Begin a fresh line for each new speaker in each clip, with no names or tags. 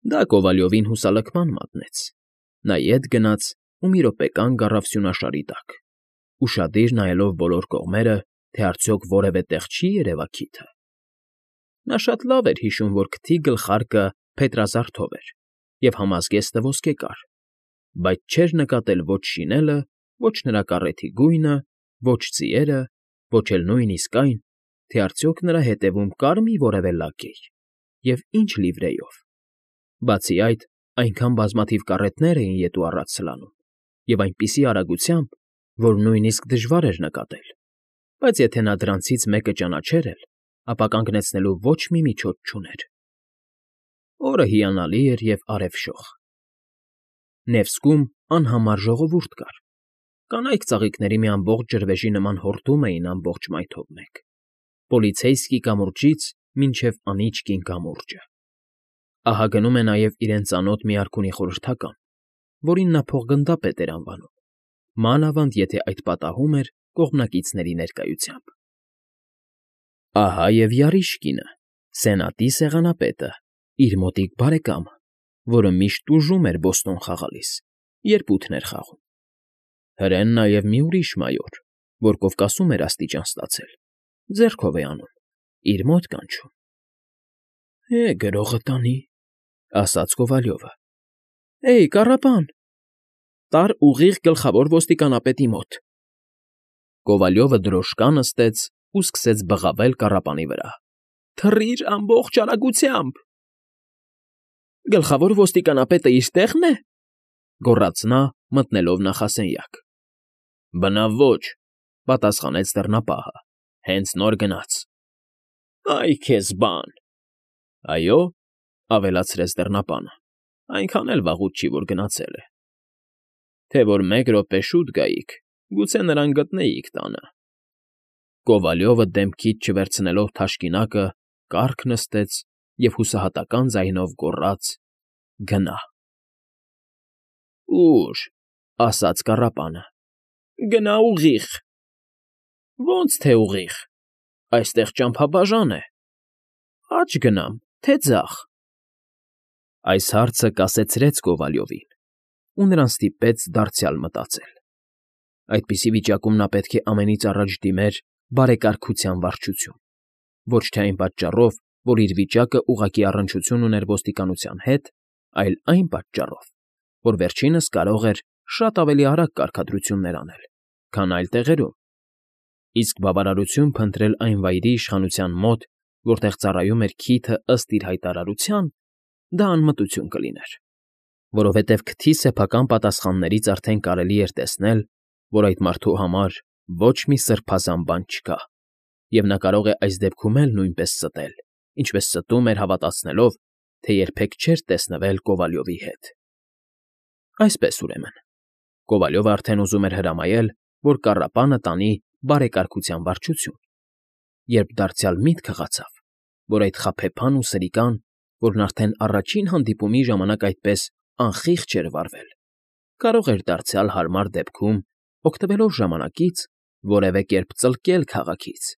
Դա Կովալյովին հուսալքման մատնեց։ Նա ետ գնաց ու մի րոպեկան կառավ սյունաշարի տակ, ուշադիր նայելով բոլոր կողմերը, թե արդյոք որևէ տեղ չի երևա քիթը։ Նա շատ լավ էր հիշում, որ քթի գլխարկը փետրազարդով էր և համազգեստը ոսկեկար, բայց չէր նկատել ոչ շինելը, ոչ նրա կառեթի գույնը, ոչ ձիերը, ոչ էլ նույնիսկ այն, թե արդյոք նրա հետևում կար՞ մի որևէ լակեյ և ինչ լիվրեյով։ Բացի այդ, այնքան բազմաթիվ կառետներ էին ետ ու առաջ սլանում, և այնպիսի արագությամբ, որ նույնիսկ դժվար էր նկատել, բայց եթե նա դրանցից մեկը ճանաչեր էլ, ապա կանգնեցնելու ոչ մի միջոց չուներ։ Օրը հիանալի էր և արևշող։ Նևսկում անհամար ժողովուրդ կար։ Կանայք ծաղիկների մի ամբողջ ջրվեժի նման հորդում էին ամբողջ մայթով մեկ, Պոլիցեյսկի կամուրջից մինչև Անիճկին կամուրջը։ Ահա գնում է նաև իրեն ծանոթ մի արքունի խորհրդական, որին նա փոխգնդապետ էր անվանում, մանավանդ եթե այդ պատահում էր կողմնակիցների ներկայությամբ։ Ահա և Յարիշկինը, Սենատի սեղանապետը, իր մոտիկ բարեկամը, որը միշտ տուժում էր բոստոն խաղալիս, երբ ութն էր խաղում։ Հրեն նաև մի ուրիշ մայոր, որ Կովկասում էր աստիճան ստացել, ձեռքով է անում, իր մոտ կանչում։ Գրողը տանի, ասաց Կովալյովը։ Էյ, կառապան, տար ուղիղ գլխավոր ոստիկանապետի մոտ։ Կովալյովը դրոշկա նստեց ու սկսեց բղավել կառապանի վրա։ Թռիր ամբողջ արագությամբ։ Գլխավոր ոստիկանապետը իր տեղն է, գոռաց նա, մտնելով նախասենյակ։ Բնավ ոչ, պատասխանեց դռնապահը, հենց նոր գնաց։ Այ քեզ բան։ Այո, ավելացրեց դռնապանը, այնքան էլ վաղուց չի, որ գնացել է։ Թե որ մեկ րոպե շուտ գայիք, գուցե նրան գտնեիք տանը։ Կովալյովը դեմքից չվերցնելով թաշկինակը, կառք նստեց և հուսահատական ձայնով գոռաց. Գնա։ Ուր, ասաց կառապանը։ Գնա ուղիղ։ Ոնց թե ուղիղ, այստեղ ճամփաբաժան է։ Աջ գնամ, թե ձախ։ Այս հարցը կասեցրեց Կովալյովին, ու նրան ստիպեց դարձյալ մտածել։ Այդպիսի վիճակում նա պետք է ամենից առաջ դիմեր բարեկարգության վարչություն, ոչ թե այն պատճառով, որ իր վիճակը ուղղակի առնչություն ուներ ոստիկանության հետ, այլ այն պատճառով, որ վերջինս կարող էր շատ ավելի արագ կարգադրություններ անել, քան այլ տեղերում, իսկ բավարարություն փնտրել այն վայրի իշխանության մոտ, որտեղ ծառայում էր քիթը ըստ իր հայտարարության, դա անմտություն կլիներ, որովհետև քթի սեփական պատասխաններից արդեն կարելի էր տեսնել, որ այդ մարդու համար ոչ մի սրբազան բան չկա, և նա կարող է այս դեպքում էլ նույնպես ստել, ինչպես ստում էր հավատացնելով, թե երբեք չէր տեսնվել Կովալյովի հետ։ Այսպես ուրեմն, Կովալյովը արդեն ուզում էր հրամայել, որ կառապանը տանի բարեկարգության վարչություն, երբ դարձյալ միտք հղացավ, որ այդ խաբեբան ու սրիկան, որն արդեն առաջին հանդիպումի ժամանակ այդպես անխիղճ էր վարվել, կարող էր դարձյալ հարմար դեպքում, օգտվելով ժամանակից, որևէ կերպ ծլկել քաղաքից,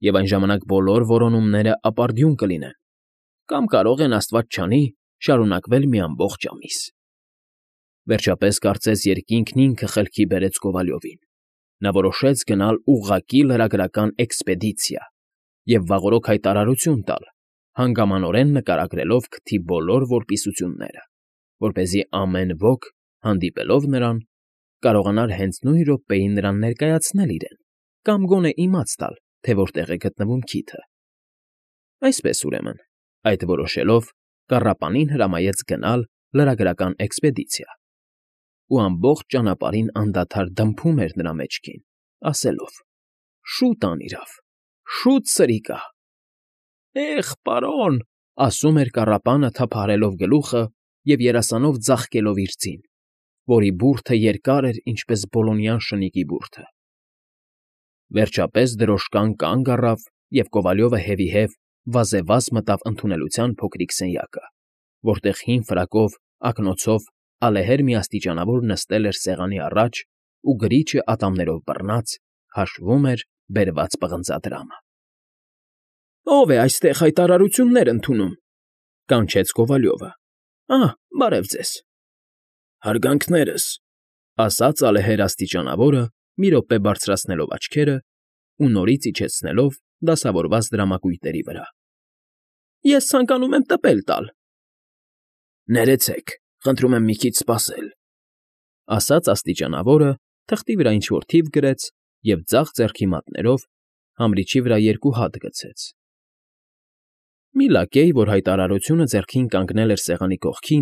և այն ժամանակ բոլոր որոնումները ապարդյուն կլինեն, կամ կարող են, աստված չանի, շարունակվել մի ամբողջ ամիս։ Վերջապես կարծես երկինքն ինքը խելքի բերեց Կովալյովին։ Նա որոշեց գնալ ուղղակի լրագրական էքսպեդիցիա և վաղօրոք հայտարարություն տալ, հանգամանորեն նկարագրելով քթի բոլոր որպիսությունները, որպեսզի ամեն ոք, հանդիպելով նրան, կարողանար հենց նույն րոպեին նրան ներկայացնել իրեն կամ գոնե իմաց տալ, թե որտեղ է գտնվում քիթը։ Այսպես ուրեմն, այդ որոշելով, կառապանին հրամայեց գնալ լրագրական էքսպեդիցիա, ու ամբողջ ճանապարհին անդադար դմփում էր նրա մեջքին, ասելով. «Շուտ անիրավ, շուտ սրիկա»։ «Էխ, պարոն», ասում էր կառապանը թափահարելով գլուխը և երասանով ձաղկելով իր ձին, որի բուրդը երկար էր, ինչպես բոլոնյան շնիկի բուրդը։ Վերջապես դրոշկան կանգ առավ, և Կովալյովը հետևի վազեվազ մտավ ընդունելության փոքրիկ սենյակը, որտեղ հին ֆրակով, ակնոցով ալեհեր մի աստիճանավոր նստել էր սեղանի առաջ ու գրիչը ատամներով բռնած հաշվում էր բերված պղնձադրամը։ «Ո՞վ է այստեղ հայտարարություններ ընդունում», կանչեց Կովալյովը։ Բարև ձեզ։
Հարգանքներս,
Ասաց ալեհեր աստիճանավորը, մի րոպե բարձրացնելով աչքերը ու նորից իջեցնելով դասավորված դրամակույտերի վրա։ Ես ցանկանում եմ տպել տալ,
ներեցեք, խնդրում եմ մի քիչ սպասել։
ասաց աստիճանավորը, թղթի վրա ինչ-որ թիվ գրեց և ձախ ձեռքի մատներով համրիչի վրա 2 հատ գցեց։ Մի լակեյ, որ հայտարարությունը ձեռքին կանգնել էր սեղանի կողքին,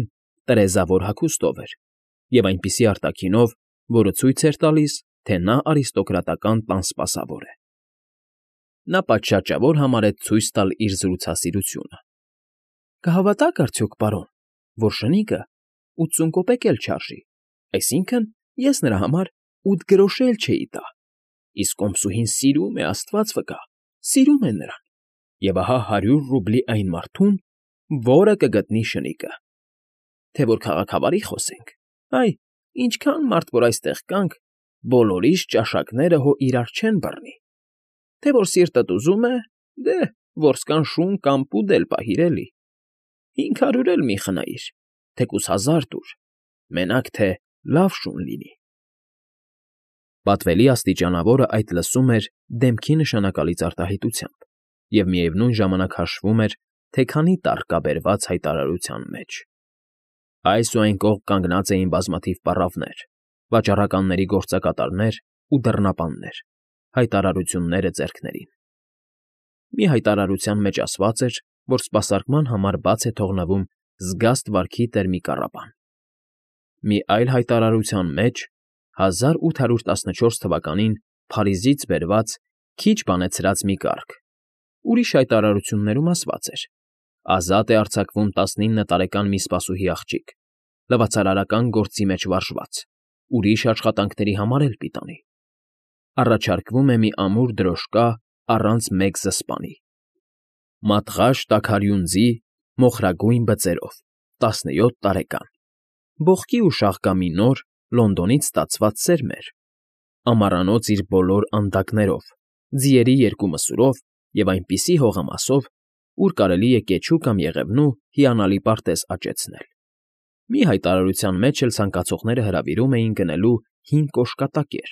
տրեզավոր հագուստով էր և այնպիսի արտաքինով, որը ցույց էր տալիս, թե նա արիստոկրատական տան սպասավոր է։ Նա պատշաճավոր համարեց ցույց տալ իր զրուցասիրությունը։ Կհավատաք արդյոք, պարոն, որ շնիկը 80 կոպեկ էլ չարժի, այսինքն ես նրա համար 8 գրոշ էլ չէի տա, իսկ կոմսուհին սիրում է, Աստված վկա, սիրում է նրան, և ահա 100 ռուբլի այն մարդուն, որը կգտնի շնիկը։ Թե որ քաղաքավարի խոսենք, ինչքան մարդ որ այստեղ կանք, բոլորիս ճաշակները հո իրար չեն բռնի։ Թե որ սիրտդ ուզում է, որսկան շուն կամ պուդ էլ պահիր էլի, 500 էլ մի խնայիր, թեկուզ 1000 տուր, մենակ թե լավ շուն լինի։ Պատվելի աստիճանավորը այդ լսում էր դեմքի նշանակալից արտահայտությամբ և միևնույն ժամանակ հաշվում էր, թե քանի տառ կա բերված հայտարարության մեջ։ Այս ու այն կողմ կանգնած էին բազմաթիվ պառավներ, վաճառականների գործակատարներ ու դռնապաններ, հայտարարությունները ձեռքներին։ Մի հայտարարության մեջ ասված էր, որ սպասարկման համար բաց է թողնվում զգաստ վարքի տեր մի կառապան։ Մի այլ հայտարարության մեջ 1814 թվականին Փարիզից բերված քիչ բանեցրած մի կառք։ Ուրիշ հայտարարություններում ասված էր. ազատ է արձակվում 19 տարեկան մի սպասուհի աղջիկ, լվացարարական գործի մեջ վարժված, ուրիշ աշխատանքների համար էլ պիտանի։ Առաջարկվում է մի ամուր դրոշկա առանց մեկ զսպանի։ Մատղաշ տաքարյունձի մոխրագույն բծերով, 17 տարեկան, բողկի ու շաղկամի նոր, Լոնդոնից ստացված սերմեր, ամառանոց իր բոլոր անդակներով, ձիերի 2 մսուրով և այնպիսի հողամասով, ուր կարելի է կեչու կամ եղևնու հիանալի պարտեզ աճեցնել։ Մի հայտարարության մեջ էլ ցանկացողները հրավիրում էին գնելու 5 կոշկատակեր,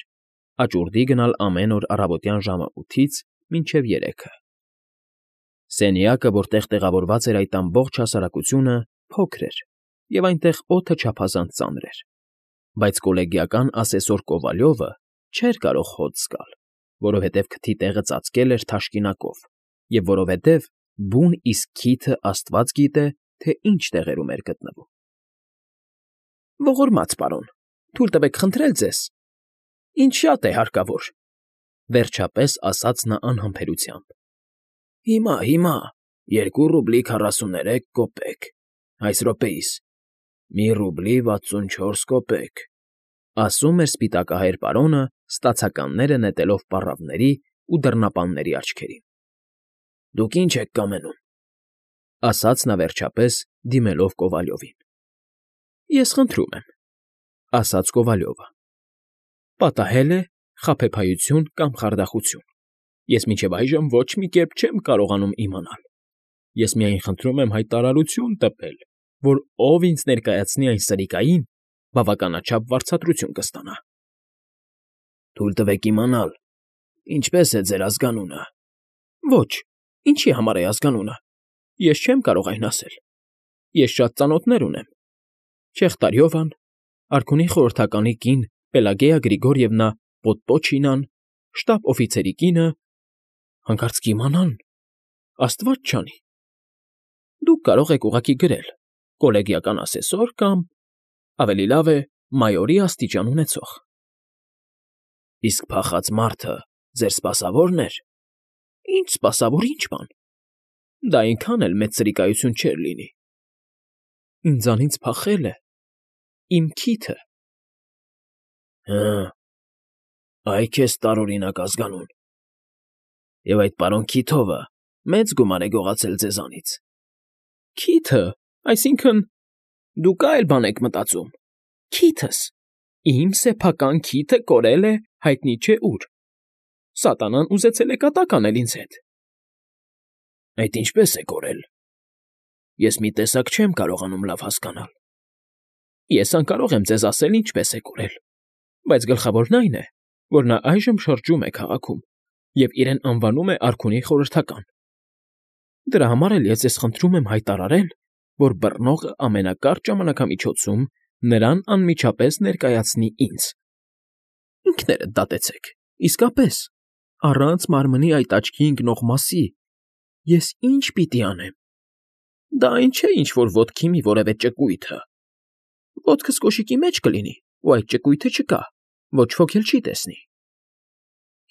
աճուրդի գնալ ամեն օր առավոտյան ժամը 8-ից մինչև 3-ը։ Սենյակը, որտեղ տեղավորված էր այդ ամբողջ հասարակությունը, փոքր էր, և այնտեղ օդը չափազանց ծանր էր, բայց կոլեգիական ասեսոր Կովալյովը չէր կարող հոտ զգալ, որովհետև քթի տեղը ծածկել էր թաշկինակով և որովհետև բուն իսկ քիթը աստված գիտե, թե ինչ տեղերում էր գտնվում։ Ողորմած պարոն, թույլ տվեք խնդրել ձեզ, ինչ շատ է հարկավոր, վերջապես ասաց նա անհամբերությամբ։
Հիմա, 2 ռուբլի 43 կոպեկ, այս րոպեիս, 1 ռուբլի 64 կոպեկ,
ասում էր սպիտակահայր պարոնը, ստացականները նետելով պառավների ու դռնապանների աչքերին։
Դուք ինչ եք կամենում,
ասաց նա վերջապես, դիմելով Կովալյովին։ Ես խնդրում եմ, ասաց Կովալյովը։ Պատահել է խաբեբայություն կամ խարդախություն։ Ես մինչև այժմ ոչ մի կերպ չեմ կարողանում իմանալ։ Ես միայն խնդրում եմ հայտարարություն տպել, որ ով ինձ ներկայացնի այն սրիկային, բավականաչափ վարձատրություն կստանա։
Թույլ տվեք իմանալ, ինչպես է ձեր ազգանունը։
Ոչ, ինչի համար է ազգանունը։ Ես չեմ կարող այն ասել։ Ես շատ ծանոթներ ունեմ։ Չեղտարյովան, արքունի խորհրդականի կին Պելագեյա Գրիգորիևնա Պոդպոչինան, շտաբ֊օֆիցերի կինը, հանկարծ կիմանան, Աստված չանի։ Դուք կարող եք ուղղակի գրել կոլեգիական ասեսոր կամ, ավելի լավ է, մայորի աստիճան ունեցող։
Իսկ փախած մարդը ձեր սպասավորն էր։
Ինչ սպասավոր, ինչ բան։ Դա այնքան էլ մեծ սրիկայություն չէր լինի։ Ինձանից փախել է իմ քիթը։
Այ քեզ տարօրինակ ազգանուն։ Եվ այդ պարոն Քիթովը մեծ գումար է գողացել ձեզանից։
Քիթը, այսինքն՝ դուք այլ բան եք մտածում։ Քիթս, իմ սեփական քիթը կորել է հայտնի չէ ուր։ Սատանան ուզեցել է կատակ անել ինձ հետ։
Այդ ինչպես է կորել։ Ես մի տեսակ չեմ կարողանում լավ հասկանալ։
Ես անկարող եմ ձեզ ասել ինչպես է կորել, բայց գլխավորն այն է, որ նա այժմ շրջում է քաղաքում և իրեն անվանում է արքունի խորհրդական։ Դրա համար էլ ես ձեզ խնդրում եմ հայտարարել, որ բռնողը ամենակարճ ժամանակամիջոցում նրան անմիջապես ներկայացնի ինձ։ Ինքներդ դատեցեք, իսկապես, առանց մարմնի այդ աչքի ընկնող մասի, ես ինչ պիտի անեմ։ Դա այն չէ, ինչ որ ոտքի մի որևէ ճկույթը։ Ոտքս կոշիկի մեջ կլինի, ու այդ ճկույթը չկա, ոչ ոք էլ չի տեսնի։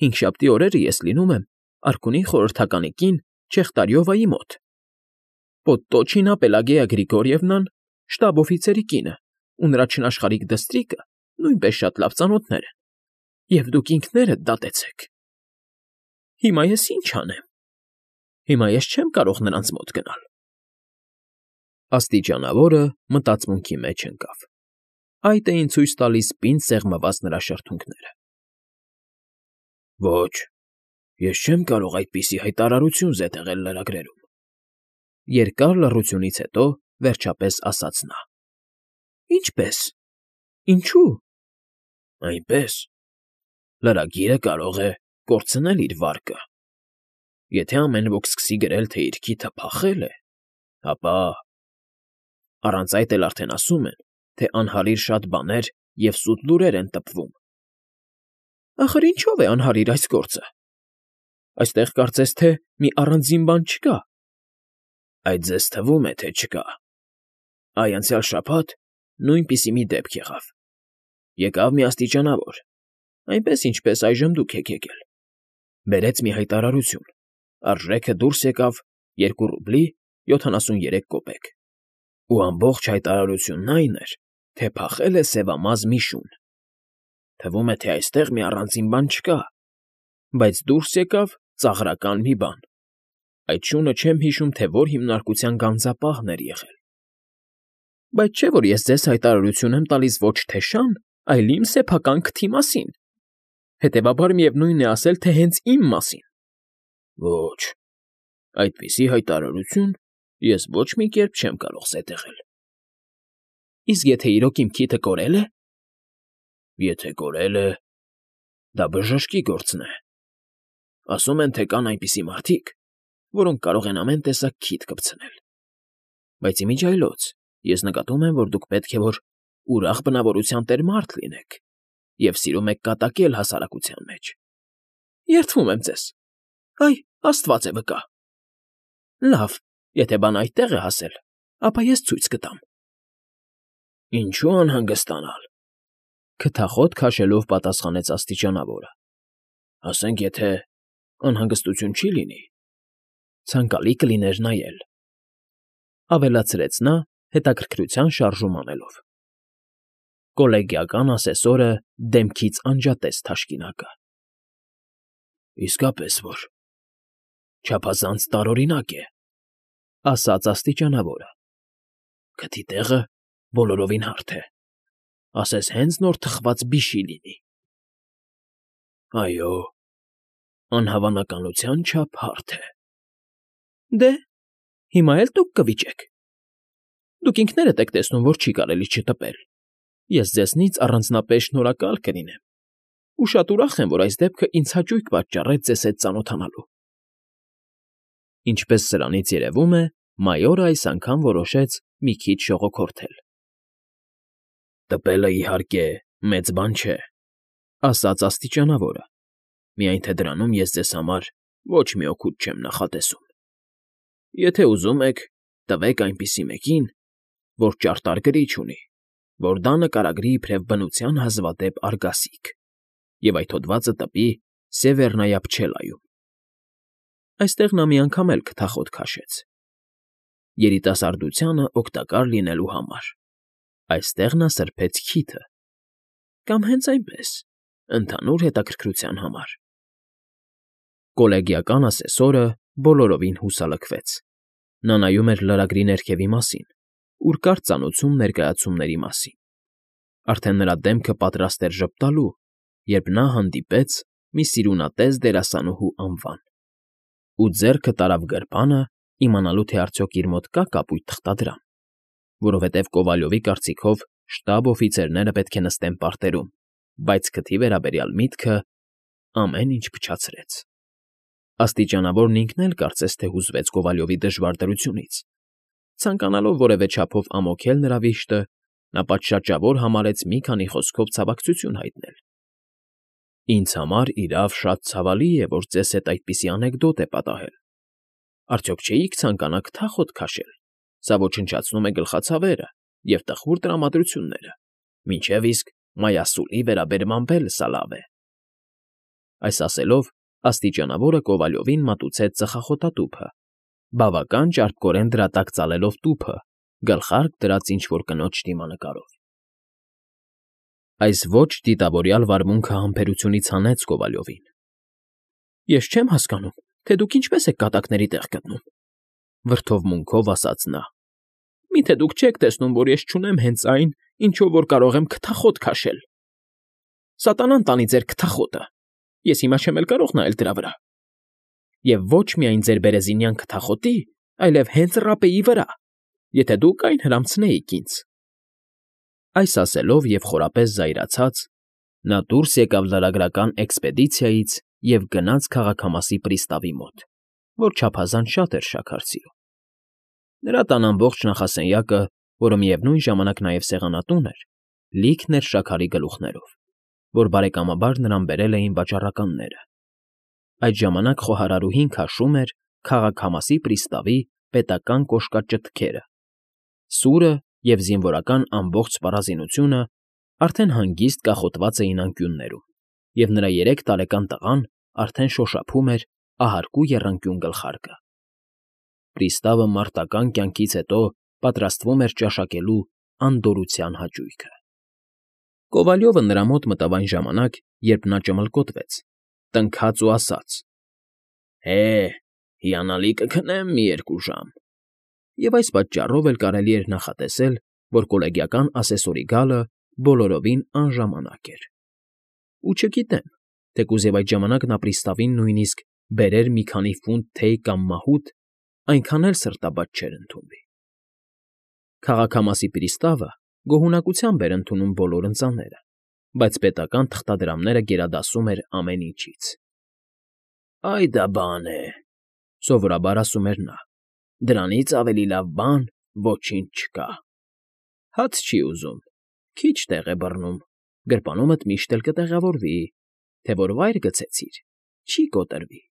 Հինգշաբթի օրերը ես լինում եմ արքունի խորհրդականի կին Չեխտարյովայի մոտ։ Պոդտոչինա Պելագեյա Գրիգորիևնան շտաբ֊օֆիցերի կինը ու նրա չնաշխարհիկ դստրիկը նույնպես շատ լավ ծանոթներ են, և դուք ինքներդ դատեցեք։ Հիմա ես ինչ անեմ։ Հիմա ես չեմ կարող նրանց մոտ գնալ։ Աստիճանավորը մտածմունքի մեջ ընկավ։ Այդ էին ցույց տալիս պինդ սեղմված նրա շրթունքները։
Ոչ, ես չեմ կարող այդպիսի հայտարարություն զետեղել լրագրերում։
Երկար լռությունից հետո վերջապես ասաց նա. Ինչպե՞ս։ Ինչու։
Այնպես։ Լրագիրը կարող է կորցնել իր վարկը։ Եթե ամեն ոք սկսի գրել, թե իր քիթը փախել է, ապա… Առանց այդ էլ արդեն ասում են, թե անհարիր շատ բաներ և սուտ լուրեր են տպվում։
Ախր ինչո՞վ է անհարիր այս գործը։ Այստեղ կարծես թե մի առանձին բան չկա։
Այդ ձեզ թվում է, թե չկա։ Այ անցյալ շաբաթ նույնպիսի մի դեպք եղավ։ Եկավ մի աստիճանավոր, այնպես ինչպես այժմ դուք եք եկել։ Բերեց մի հայտարարություն, արժեքը դուրս եկավ 2 ռուբլի 73 կոպեկ։ Ու ամբողջ հայտարարությունն այն էր, թե փախել է սևամազ մի շուն։ Թվում է, թե այստեղ մի առանձին բան չկա,
բայց դուրս եկավ ծաղրական մի բան։ Այդ շունը չեմ հիշում, թե որ հիմնարկության գանձապահն էր եղել։ Բայց չէ՞ որ ես ձեզ հայտարարություն եմ տալիս ոչ թե շան, այլ իմ սեփական քթի մասին։ Հետևաբար միևնույն է ասել, թե հենց իմ մասին։
Ոչ, այդպիսի հայտարարություն ես ոչ մի կերպ չեմ կարող զետեղել։
Իսկ եթե իրոք իմ քիթը կորել է։
Եթե կորել է, դա բժշկի գործն է։ Ասում են, թե կան այնպիսի մարդիկ, որոնք կարող են ամեն տեսակ քիթ կպցնել։ Բայց իմիջիայլոց ես նկատում եմ, որ դուք պետք է որ ուրախ բնավորության տեր մարդ լինեք և սիրում եք կատակել հասարակության մեջ։
Երդվում եմ ձեզ։ Այ, Աստված է վկա։ Լավ, եթե բան այդտեղ է հասել, ապա ես ցույց կտամ։
Ինչու անհանգստանալ։
Քթախոտ քաշելով պատասխանեց աստիճանավորը։
Ասենք, եթե անհանգստություն չի լինի,
ցանկալի կլիներ նայել։ Ավելացրեց նա հետաքրքրության շարժում անելով։ Կոլեգիական ասեսորը դեմքից անջատեց թաշկինակը։
Իսկապես որ… Չափազանց տարօրինակ է,
ասաց աստիճանավորը։
Քթի տեղը բոլորովին հարթ է, ասես հենց նոր թխված բիշի լինի։ Այո, անհավանականության չափ հարթ է։
Դե, հիմա էլ դուք կվիճեք։ Դուք ինքներդ եք տեսնում, որ չի կարելի չտպել։ Ես ձեզնից առանձնապես շնորհակալ կլինեմ ու շատ ուրախ եմ, որ այս դեպքը ինձ հաճույք պատճառեց ձեզ հետ ծանոթանալու։ Ինչպես սրանից երևում է, մայորը այս անգամ որոշեց մի քիչ շողոքորթել։
Տպելը, իհարկե, մեծ բան չէ,
ասաց աստիճանավորը։
Միայն թե դրանում ես ձեզ համար ոչ մի օգուտ չեմ նախատեսում։ Եթե ուզում եք, տվեք այնպիսի մեկին, որ ճարտար գրիչ ունի, որ դա նկարագրի իբրև բնության հազվադեպ արգասիկ, և այդ հոդվածը տպի Սևեռնայա Փչելայում։
Այստեղ նա մի անգամ էլ քթախոտ քաշեց։ Երիտասարդությանը օգտակար լինելու համար։ Այստեղ նա սրբեց քիթը։ Կամ հենց այնպես, ընդհանուր հետաքրքրության համար։ Կոլեգիական ասեսորը բոլորովին հուսալքվեց։ Նա նայում էր լրագրի ներքևի մասին, ուր կար ծանուցում ներկայացումների մասին։ Արդեն նրա դեմքը պատրաստ էր ժպտալու, երբ նա հանդիպեց մի սիրունատես դերասանուհու անվան։ Ու ձեռքը տարավ գրպանը իմանալու թե արդյոք իր մոտ կա կապույտ թղթադրամ, որովհետև Կովալյովի կարծիքով շտաբ օֆիցերները պետք է նստեն պարտերում, բայց քթի վերաբերյալ միտքը ամեն ինչ փչացրեց։ Աստիճանավորն ինքն էլ կարծես թե հուզվեց Կովալյովի դժվար դրությունից։ Ցանկանալով որևէ չափով ամոթել նրա վիշտը, նա պատշաճավոր համարեց մի քանի խոսքով ցավակցություն հայտնել։ Ինձ համար իրավ շատ ցավալի է, որ ձեզ հետ այդպիսի անեկդոտ է պատահել։ Արդյոք չէիք ցանկանա քթախոտ քաշել։ Սա ոչնչացնում է գլխացավերը և տխուր տրամադրությունները, մինչև իսկ մայասուլի վերաբերմամբ էլ սա լավ է։ Այս ասելով աստիճանավորը Կովալյովին մատուցեց ծխախոտատուփը, բավական ճարպկորեն դրա տակ ծալելով տուփը, գլխարկ դրած ինչ֊որ կնոջ դիմանկարով։ Այս ոչ դիտավորյալ վարմունքը համբերությունից հանեց Կովալյովին։ Ես չեմ հասկանում, թե դուք ինչպես եք կատակների տեղ գտնում, վրդովմունքով ասաց նա։ Միթե դուք չեք տեսնում, որ ես չունեմ հենց այն, ինչով որ կարող եմ քթախոտ քաշել։ Սատանան տանի ձեր քթախոտը, ես հիմա չեմ էլ կարող նայել դրա վրա։ Եվ ոչ միայն ձեր բերեզինյան քթախոտի, այլև հենց ռապեի վրա, եթե դուք այն հրամցնեիք ինձ։ Այս ասելով և խորապես զայրացած, նա դուրս եկավ լարագրական էքսպեդիցիայից և գնաց քաղաքամասի պրիստավի մոտ, որ չափազանց շատ էր շաքար սիրում։ Նրա տան ամբողջ նախասենյակը, որը միևնույն ժամանակ նաև սեղանատուն էր, լիքն էր շաքարի գլուխներով, որ բարեկամաբար նրան բերել էին վաճառականները։ Այդ ժամանակ խոհարարուհին քաշում էր քաղաքամասի պրիստավի պետական կոշկաճտքերը։ Սուրը և զինվորական ամբողջ սպառազինությունը արդեն հանգիստ կախոտված էին անկյուններում, և նրա 3 տարեկան տղան արդեն շոշափում էր ահարկու եռանկյուն գլխարկը։ Պրիստավը մարտական կյանքից հետո պատրաստվում էր ճաշակելու անդորրության հաճույքը։ Կովալյովը նրա մոտ մտավ այն ժամանակ, երբ նա ճմլկոտվեց, տնքաց ու ասաց. Հիանալի կքնեմ մի 2 ժամ։ Եվ այս պատճառով էլ կարելի էր նախատեսել, որ կոլեգիական ասեսորի գալը բոլորովին անժամանակ էր։ Ու չգիտեմ, թեկուզ և այդ ժամանակ նա պրիստավին նույնիսկ բերեր մի քանի ֆունտ թեյ կամ մահութ, այնքան էլ սրտաբաց չէր ընդունվի։ Քաղաքամասի պրիստավը գոհունակությամբ էր ընդունում բոլոր ընծաները, բայց պետական թղթադրամները գերադասում էր ամեն ինչից։ Այ դա բան է, սովորաբար ասում էր նա, դրանից ավելի լավ բան ոչինչ չկա։ Հաց չի ուզում, քիչ տեղ է բռնում, գրպանումդ միշտ էլ կտեղավորվի, թե որ վայր գցեցիր, չի կոտրվի։